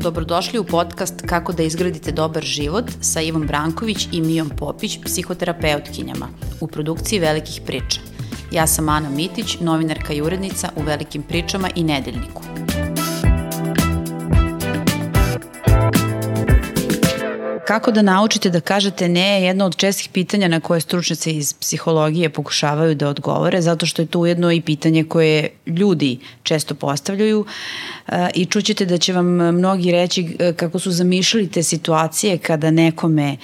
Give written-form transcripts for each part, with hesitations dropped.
Dobrodošli u podcast Kako da izgradite dobar život sa Ivom Branković i Mijom Popić, psihoterapeutkinjama, u produkciji Velikih priča. Ja sam Ana Mitić, novinarka i urednica u Velikim pričama i Nedeljniku. Kako da naučite da kažete ne je jedno od čestih pitanja na koje stručnjaci iz psihologije pokušavaju da odgovore, zato što je to ujedno i pitanje koje ljudi često postavljaju i čućete da će vam mnogi reći kako su zamišljali te situacije kada nekome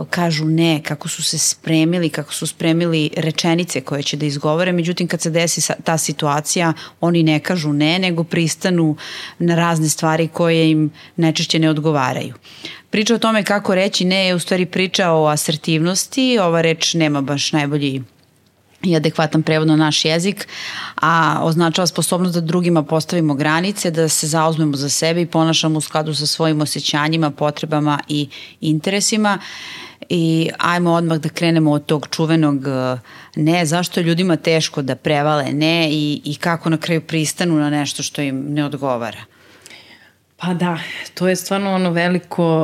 kažu ne, kako su se spremili, kako su spremili rečenice koje će da izgovore, međutim kad se desi ta situacija oni ne kažu ne, nego pristanu na razne stvari koje im najčešće ne odgovaraju. Priča o tome kako reći ne je u stvari priča o asertivnosti, ova reč nema baš najbolji i adekvatan prevod na naš jezik, a označava sposobnost da drugima postavimo granice, da se zauzmemo za sebe i ponašamo u skladu sa svojim osjećanjima, potrebama i interesima. I ajmo odmah da krenemo od tog čuvenog ne, zašto je ljudima teško da prevale ne i kako na kraju pristanu na nešto što im ne odgovara. Pa da, to je stvarno ono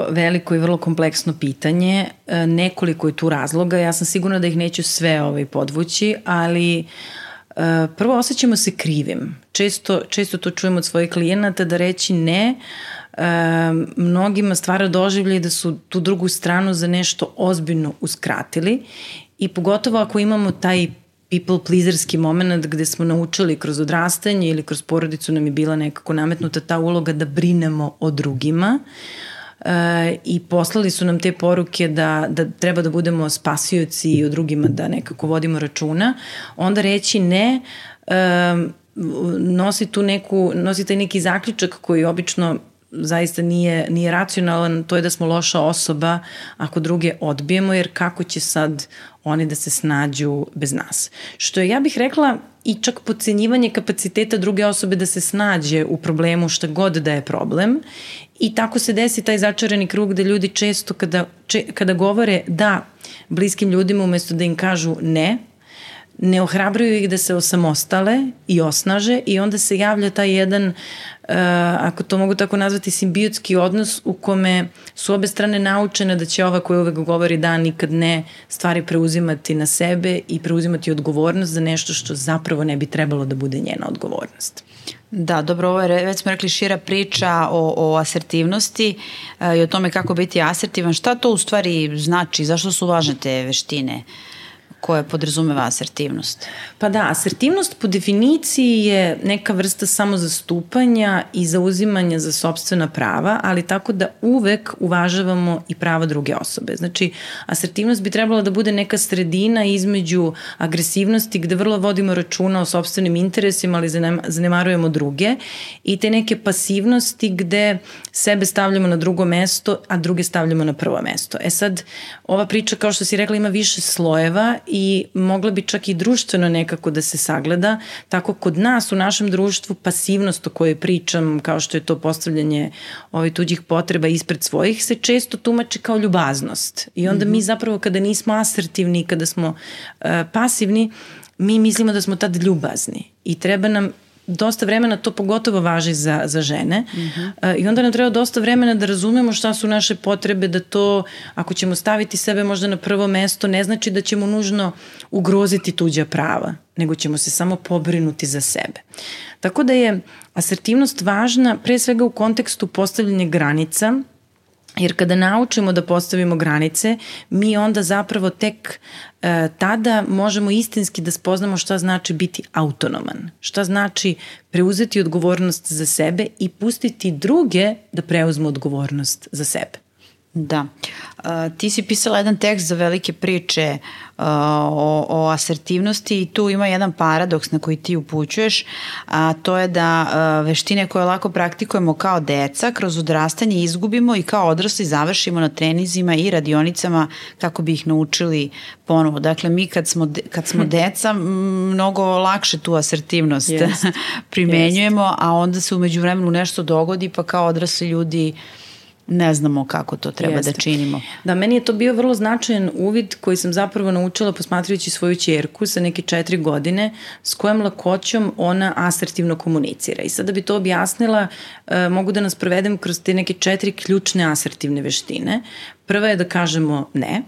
veliko i vrlo kompleksno pitanje. Nekoliko je tu razloga. Ja sam sigurna da ih neću sve podvući, ali prvo osjećamo se krivim. Često to čujemo od svojih klijenata da reći ne mnogima stvara doživljaj da su tu drugu stranu za nešto ozbiljno uskratili i pogotovo ako imamo taj people pleaserski moment gde smo naučili kroz odrastanje ili kroz porodicu nam je bila nekako nametnuta ta uloga da brinemo o drugima i poslali su nam te poruke da treba da budemo spasioci i o drugima da nekako vodimo računa, onda reći ne nosi taj neki zaključak koji obično zaista nije racionalan, to je da smo loša osoba ako druge odbijemo, jer kako će sad oni da se snađu bez nas. Što je, ja bih rekla, i čak podcenjivanje kapaciteta druge osobe da se snađe u problemu šta god da je problem i tako se desi taj začarani krug da ljudi često kada govore da bliskim ljudima umesto da im kažu ne ohrabruju ih da se osamostale i osnaže i onda se javlja taj jedan, ako to mogu tako nazvati, simbiotski odnos u kome su obe strane naučene da će ova koja uvek govori da nikad ne stvari preuzimati na sebe i preuzimati odgovornost za nešto što zapravo ne bi trebalo da bude njena odgovornost. Da, dobro, ovo je, već smo rekli, šira priča o asertivnosti i o tome kako biti asertivan. Šta to u stvari znači? Zašto su važne te veštine koje podrazumeva asertivnost? Pa da, asertivnost po definiciji je neka vrsta samozastupanja i zauzimanja za sopstvena prava, ali tako da uvek uvažavamo i prava druge osobe. Znači, asertivnost bi trebala da bude neka sredina između agresivnosti gde vrlo vodimo računa o sopstvenim interesima, ali zanemarujemo druge, i te neke pasivnosti gde sebe stavljamo na drugo mesto, a druge stavljamo na prvo mesto. E sad, ova priča, kao što si rekla, ima više slojeva i mogla bi čak i društveno nekako da se sagleda. Tako kod nas u našem društvu pasivnost o kojoj pričam, kao što je to postavljanje tuđih potreba ispred svojih, se često tumači kao ljubaznost. I onda mi zapravo kada nismo asertivni, kada smo pasivni, mi mislimo da smo tad ljubazni i treba nam dosta vremena, to pogotovo važi za žene, i onda nam treba dosta vremena da razumemo šta su naše potrebe, da to, ako ćemo staviti sebe možda na prvo mesto, ne znači da ćemo nužno ugroziti tuđa prava, nego ćemo se samo pobrinuti za sebe. Tako da je asertivnost važna pre svega u kontekstu postavljanja granica, jer kada naučimo da postavimo granice, mi onda zapravo tek tada možemo istinski da spoznamo šta znači biti autonoman, šta znači preuzeti odgovornost za sebe i pustiti druge da preuzmu odgovornost za sebe. Da. Ti si pisala jedan tekst za Velike priče o asertivnosti i tu ima jedan paradoks na koji ti upućuješ, a to je da veštine koje lako praktikujemo kao deca kroz odrastanje izgubimo i kao odrasli završimo na treninzima i radionicama kako bi ih naučili ponovo. Dakle, mi kad smo deca mnogo lakše tu asertivnost primenjujemo, a onda se umeđu vremenu nešto dogodi pa kao odrasli ljudi ne znamo kako to treba da činimo. Da, meni je to bio vrlo značajan uvid koji sam zapravo naučila posmatrajući svoju ćerku sa neke 4 godine s kojom lakoćom ona asertivno komunicira. I sad da bi to objasnila, mogu da nas provedem kroz te neke 4 ključne asertivne veštine. Prva je da kažemo ne.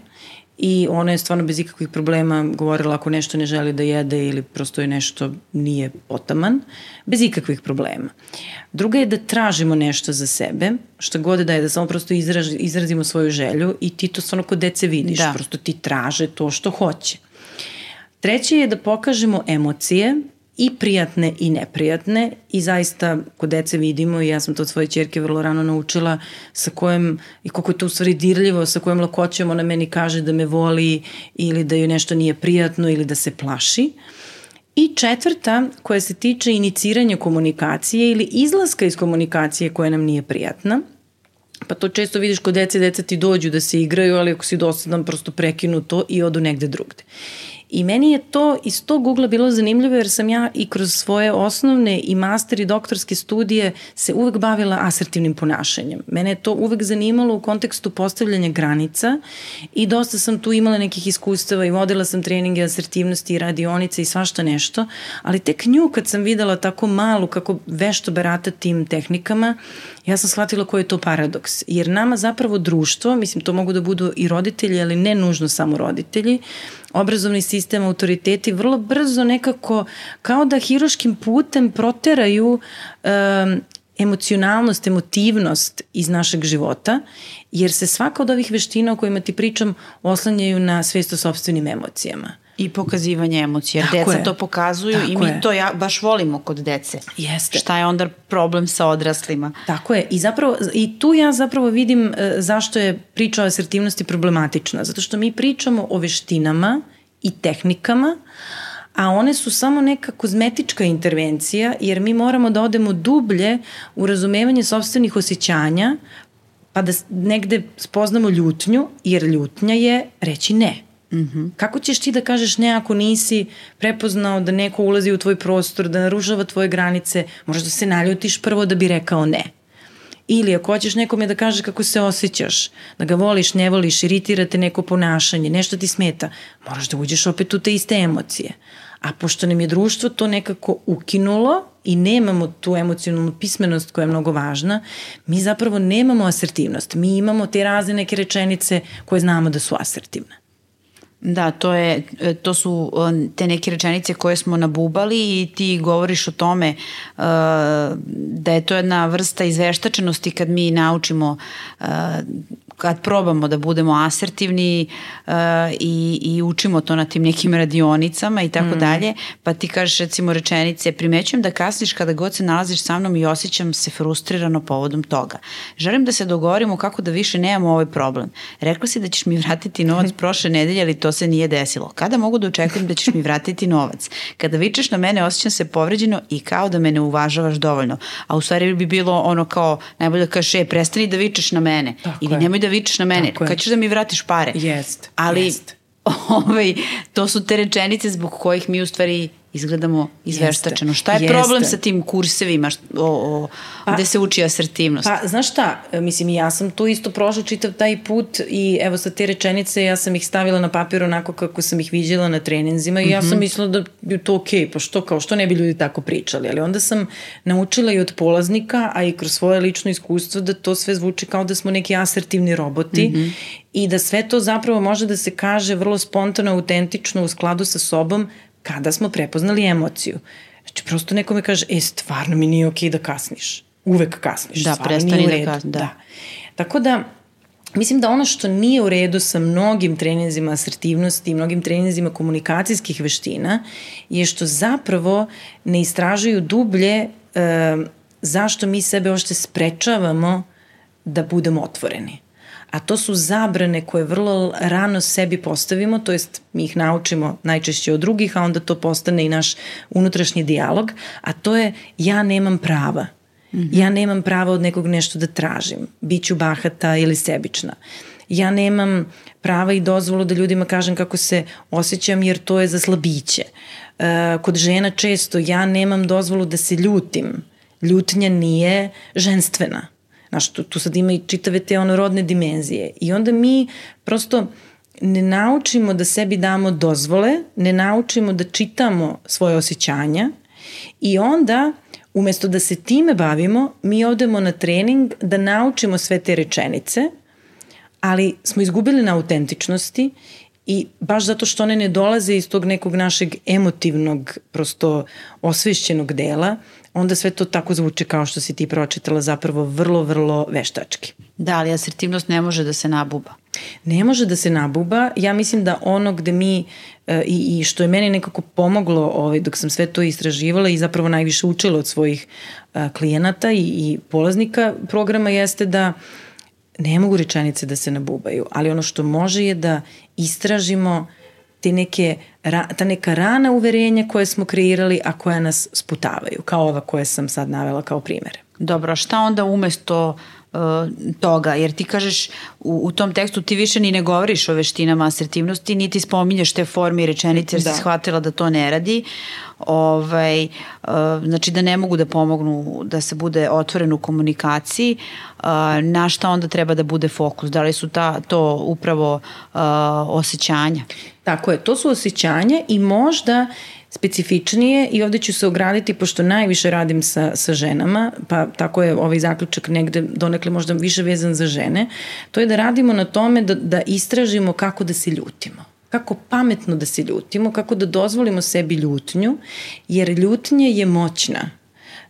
I ona je stvarno bez ikakvih problema govorila ako nešto ne želi da jede ili prosto je nešto nije potaman, bez ikakvih problema. Druga je da tražimo nešto za sebe, šta god da je, da samo prosto izrazimo svoju želju i ti to stvarno kod dece vidiš, prosto ti traže to što hoće. Treće je da pokažemo emocije, i prijatne i neprijatne i zaista kod dece vidimo i ja sam to od svoje ćerke vrlo rano naučila sa kojom i koliko je to u stvari dirljivo, sa kojom lakoćom ona meni kaže da me voli ili da joj nešto nije prijatno ili da se plaši. I četvrta koja se tiče iniciranja komunikacije ili izlaska iz komunikacije koja nam nije prijatna. Pa to često vidiš kod dece, deca ti dođu da se igraju, ali ako si dosadan prosto prekinu to i odu negde drugde. I meni je to iz tog ugla bilo zanimljivo jer sam ja i kroz svoje osnovne i master i doktorske studije se uvek bavila asertivnim ponašanjem. Mene je to uvek zanimalo u kontekstu postavljanja granica i dosta sam tu imala nekih iskustava i vodila sam treninge asertivnosti i radionice i svašta nešto, ali tek nju kad sam videla tako malu kako vešto barata tim tehnikama, ja sam shvatila koji je to paradoks. Jer nama zapravo društvo, mislim to mogu da budu i roditelji, ali ne nužno samo roditelji, obrazovni sistem, autoriteti vrlo brzo nekako kao da hiruškim putem proteraju emocionalnost, emotivnost iz našeg života, jer se svaka od ovih veština o kojima ti pričam oslanjaju na svest o sopstvenim emocijama. I pokazivanje emocija, jer deca to pokazuju i mi to baš volimo kod dece. Jeste. Šta je onda problem sa odraslima? Tako je. I tu ja zapravo vidim zašto je priča o asertivnosti problematična. Zato što mi pričamo o veštinama i tehnikama, a one su samo neka kozmetička intervencija, jer mi moramo da odemo dublje u razumevanje sopstvenih osjećanja, pa da negde spoznamo ljutnju, jer ljutnja je reći ne. Kako ćeš ti da kažeš ne ako nisi prepoznao da neko ulazi u tvoj prostor, da narušava tvoje granice, možeš da se naljutiš prvo da bi rekao ne. Ili ako hoćeš nekome da kažeš kako se osjećaš, da ga voliš, ne voliš, iritira te neko ponašanje, nešto ti smeta, moraš da uđeš opet u te iste emocije. A pošto nam je društvo to nekako ukinulo i nemamo tu emocionalnu pismenost koja je mnogo važna, mi zapravo nemamo asertivnost. Mi imamo te razne neke rečenice koje znamo da su asertivne. Da, to su te neke rečenice koje smo nabubali i ti govoriš o tome da je to jedna vrsta izveštačenosti kad mi naučimo, kad probamo da budemo asertivni i učimo to na tim nekim radionicama i tako dalje, pa ti kažeš recimo rečenice, primećujem da kasniš kada god se nalaziš sa mnom i osjećam se frustrirano povodom toga. Želim da se dogovorimo kako da više nemamo ovaj problem. Rekla si da ćeš mi vratiti novac prošle nedelje, ali to se nije desilo. Kada mogu da očekujem da ćeš mi vratiti novac? Kada vičeš na mene, osjećam se povređeno i kao da me ne uvažavaš dovoljno. A u stvari bi bilo ono kao, najbolje da kažeš, prestani da vičeš na mene. Tako ili nemoj da vičeš na mene. Kad ćeš da mi vratiš pare? Jest. Ali to su te rečenice zbog kojih mi u stvari izgledamo izveštačeno. Šta je problem sa tim kursevima gde se uči asertivnost? Pa, znaš šta, mislim, ja sam tu isto prošla čitav taj put i evo sa te rečenice ja sam ih stavila na papir onako kako sam ih viđala na treninzima i ja sam mislila da je to okej, pa što ne bi ljudi tako pričali, ali onda sam naučila i od polaznika, a i kroz svoje lično iskustvo da to sve zvuči kao da smo neki asertivni roboti i da sve to zapravo može da se kaže vrlo spontano, autentično, u skladu sa sobom, kada smo prepoznali emociju. Znači, prosto neko me kaže, stvarno mi nije okej da kasniš. Uvek kasniš. Da, prestani da kasniš. Da. Tako da, mislim da ono što nije u redu sa mnogim treninzima asertivnosti i mnogim treninzima komunikacijskih veština je što zapravo ne istražuju dublje zašto mi sebe ošte sprečavamo da budemo otvoreni. A to su zabrane koje vrlo rano sebi postavimo, to jest mi ih naučimo najčešće od drugih, a onda to postane i naš unutrašnji dijalog, a to je ja nemam prava. Ja nemam prava od nekog nešto da tražim, biću bahata ili sebična. Ja nemam prava i dozvolu da ljudima kažem kako se osjećam jer to je za slabiće. Kod žena često ja nemam dozvolu da se ljutim. Ljutnja nije ženstvena. Znaš, tu sad ima i čitave te rodne dimenzije. I onda mi prosto ne naučimo da sebi damo dozvole, ne naučimo da čitamo svoje osjećanja i onda umesto da se time bavimo, mi odemo na trening da naučimo sve te rečenice, ali smo izgubili na autentičnosti i baš zato što one ne dolaze iz tog nekog našeg emotivnog, prosto osvešćenog dela, onda sve to tako zvuče kao što si ti pročitala, zapravo vrlo, vrlo veštački. Da, ali asertivnost ne može da se nabuba. Ne može da se nabuba. Ja mislim da ono gde mi i što je meni nekako pomoglo dok sam sve to istraživala i zapravo najviše učila od svojih klijenata i polaznika programa jeste da ne mogu rečenice da se nabubaju, ali ono što može je da istražimo ta neka rana uverenja koje smo kreirali, a koja nas sputavaju, kao ova koje sam sad navela kao primere. Dobro, a šta onda umesto toga, jer ti kažeš u tom tekstu ti više ni ne govoriš o veštinama asertivnosti, niti spominješ te forme i rečenice jer si shvatila da to ne radi, znači da ne mogu da pomognu da se bude otvoren u komunikaciji, na šta onda treba da bude fokus, da li su to upravo osjećanja? Tako je, to su osjećanja i možda specifičnije i ovde ću se ograditi pošto najviše radim sa ženama, pa tako je ovaj zaključak negde donekle možda više vezan za žene, to je da radimo na tome da istražimo kako da se ljutimo. Kako pametno da se ljutimo, kako da dozvolimo sebi ljutnju, jer ljutnja je moćna.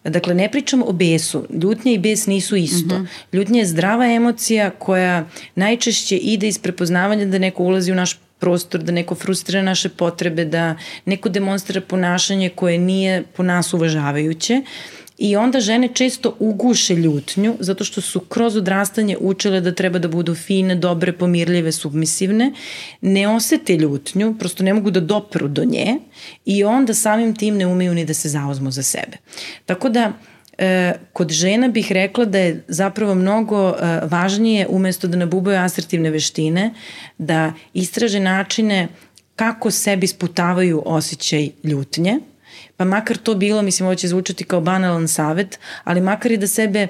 Dakle, ne pričam o besu. Ljutnja i bes nisu isto. Ljutnja je zdrava emocija koja najčešće ide iz prepoznavanja da neko ulazi u naš prostor, da neko frustrira naše potrebe, da neko demonstrira ponašanje koje nije po nas uvažavajuće. I onda žene često uguše ljutnju zato što su kroz odrastanje učile da treba da budu fine, dobre, pomirljive, submisivne, ne osete ljutnju, prosto ne mogu da dopru do nje i onda samim tim ne umeju ni da se zauzmu za sebe. Tako da kod žena bih rekla da je zapravo mnogo važnije umesto da nabubaju asertivne veštine, da istraže načine kako sebi sputavaju osjećaj ljutnje, pa makar to bilo, mislim ovo će zvučati kao banalan savet, ali makar i da sebe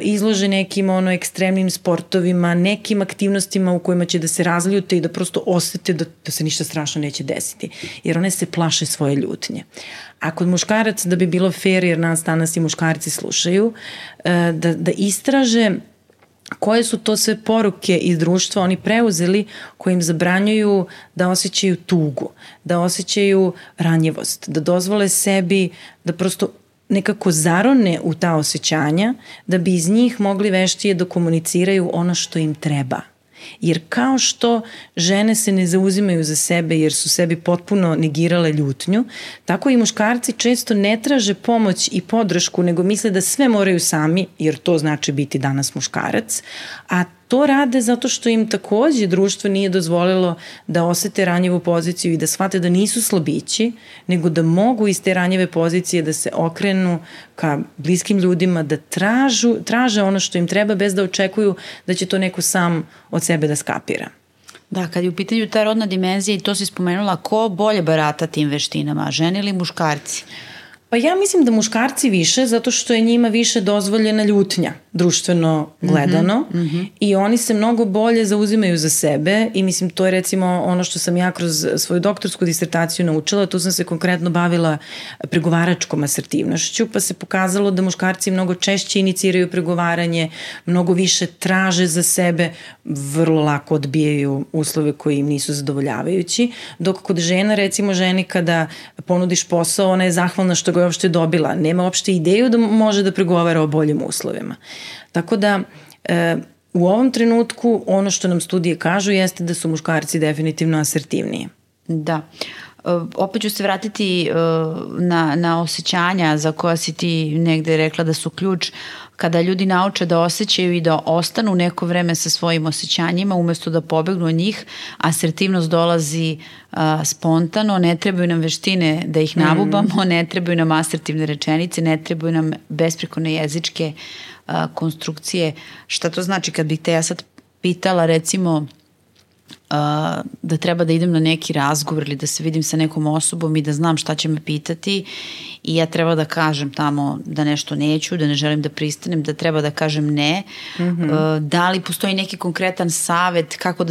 izlože nekim ekstremnim sportovima, nekim aktivnostima u kojima će da se razljute i da prosto osete da se ništa strašno neće desiti, jer one se plaše svoje ljutnje. A kod muškaraca, da bi bilo fair, jer nas danas i muškarci slušaju, da istraže koje su to sve poruke iz društva oni preuzeli koje im zabranjuju da osjećaju tugu, da osjećaju ranjivost, da dozvole sebi da prosto nekako zarone u ta osjećanja da bi iz njih mogli veštije da komuniciraju ono što im treba. Jer kao što žene se ne zauzimaju za sebe jer su sebi potpuno negirale ljutnju, tako i muškarci često ne traže pomoć i podršku, nego misle da sve moraju sami, jer to znači biti danas muškarac, a to rade zato što im takođe društvo nije dozvolilo da osete ranjivu poziciju i da shvate da nisu slabići, nego da mogu iz te ranjive pozicije da se okrenu ka bliskim ljudima, da traže ono što im treba bez da očekuju da će to neko sam od sebe da skapira. Da, kad je u pitanju ta rodna dimenzija i to si spomenula, ko bolje barata tim veštinama, žene ili muškarci? Pa ja mislim da muškarci više, zato što je njima više dozvoljena ljutnja, društveno gledano, i oni se mnogo bolje zauzimaju za sebe i mislim to je recimo ono što sam ja kroz svoju doktorsku disertaciju naučila, tu sam se konkretno bavila pregovaračkom asertivnošću, pa se pokazalo da muškarci mnogo češće iniciraju pregovaranje, mnogo više traže za sebe, vrlo lako odbijaju uslove koji im nisu zadovoljavajući, dok kod žena, recimo ženi kada ponudiš posao, ona je zahvalna što ga je uopšte dobila, nema uopšte ideju da može da pregovara o boljim uslovima. Tako da u ovom trenutku ono što nam studije kažu jeste da su muškarci definitivno asertivniji. Da. Opet ću se vratiti na osjećanja za koja si ti negde rekla da su ključ. Kada ljudi nauče da osjećaju i da ostanu neko vreme sa svojim osjećanjima umesto da pobegnu od njih, asertivnost dolazi spontano, ne trebaju nam veštine da ih nabubamo, ne trebaju nam asertivne rečenice, ne trebaju nam besprekorne jezičke konstrukcije. Šta to znači kad bih te ja sad pitala recimo da treba da idem na neki razgovor ili da se vidim sa nekom osobom i da znam šta će me pitati i ja treba da kažem tamo da nešto neću, da ne želim da pristanem, da treba da kažem ne. Da li postoji neki konkretan savet kako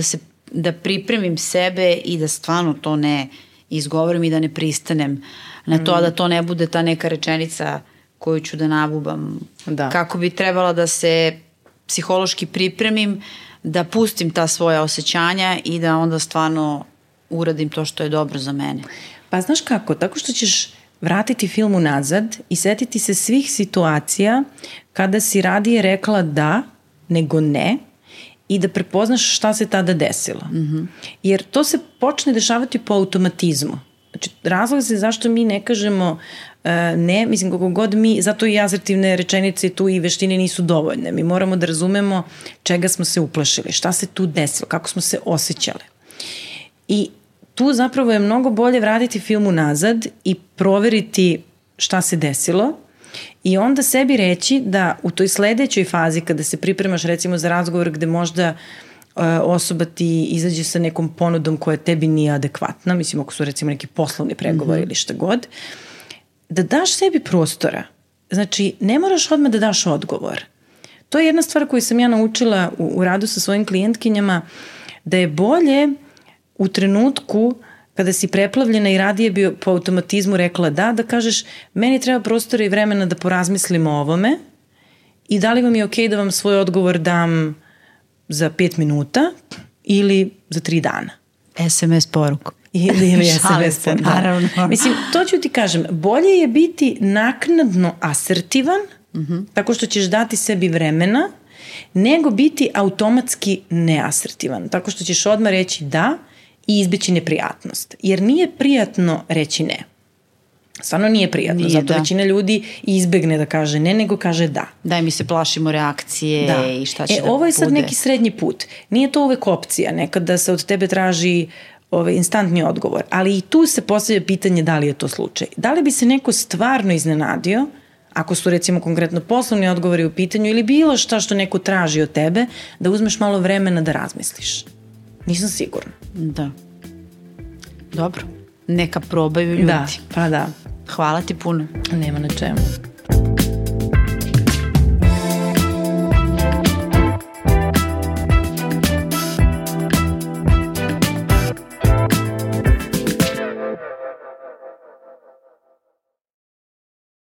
da pripremim sebe i da stvarno to ne izgovorim i da ne pristanem na to, a da to ne bude ta neka rečenica koju ću da nabubam. Da. Kako bi trebala da se psihološki pripremim, da pustim ta svoja osjećanja i da onda stvarno uradim to što je dobro za mene. Pa znaš kako, tako što ćeš vratiti film unazad i setiti se svih situacija kada si radije rekla da nego ne i da prepoznaš šta se tada desilo. Jer to se počne dešavati po automatizmu. Znači, razlog se zašto mi ne kažemo ne, mislim kako god mi, zato i asertivne rečenice tu i veštine nisu dovoljne. Mi moramo da razumemo čega smo se uplašili, šta se tu desilo, kako smo se osjećale. I tu zapravo je mnogo bolje vratiti film unazad i proveriti šta se desilo i onda sebi reći da u toj sledećoj fazi kada se pripremaš recimo za razgovor gde možda osoba ti izađe sa nekom ponudom koja tebi nije adekvatna, mislim ako su recimo neki poslovni pregovori ili šta god, da daš sebi prostora. Znači, ne moraš odmah da daš odgovor. To je jedna stvar koju sam ja naučila u radu sa svojim klijentkinjama, da je bolje u trenutku kada si preplavljena i radije bi po automatizmu rekla da kažeš meni treba prostora i vremena da porazmislim o ovome i da li vam je okej da vam svoj odgovor dam za 5 minuta ili za 3 dana. SMS poruku. Ili SMS poruku. Naravno. Mislim, to ću ti kažem, bolje je biti naknadno asertivan, tako što ćeš dati sebi vremena, nego biti automatski neasertivan, tako što ćeš odmah reći da i izbeći neprijatnost. Jer nije prijatno reći ne. Stvarno nije prijatno, nije, zato većina ljudi izbegne da kaže ne, nego kaže da. Da, i mi se plašimo reakcije i šta će da bude. Ovo je sad neki srednji put. Nije to uvek opcija, nekada se od tebe traži instantni odgovor, ali i tu se postavlja pitanje da li je to slučaj. Da li bi se neko stvarno iznenadio, ako su recimo konkretno poslovni odgovori u pitanju ili bilo šta što neko traži od tebe, da uzmeš malo vremena da razmisliš. Nisam sigurna. Da. Dobro. Neka probaju ljudi. Da, pa da. Hvala ti puno. Nema na čemu.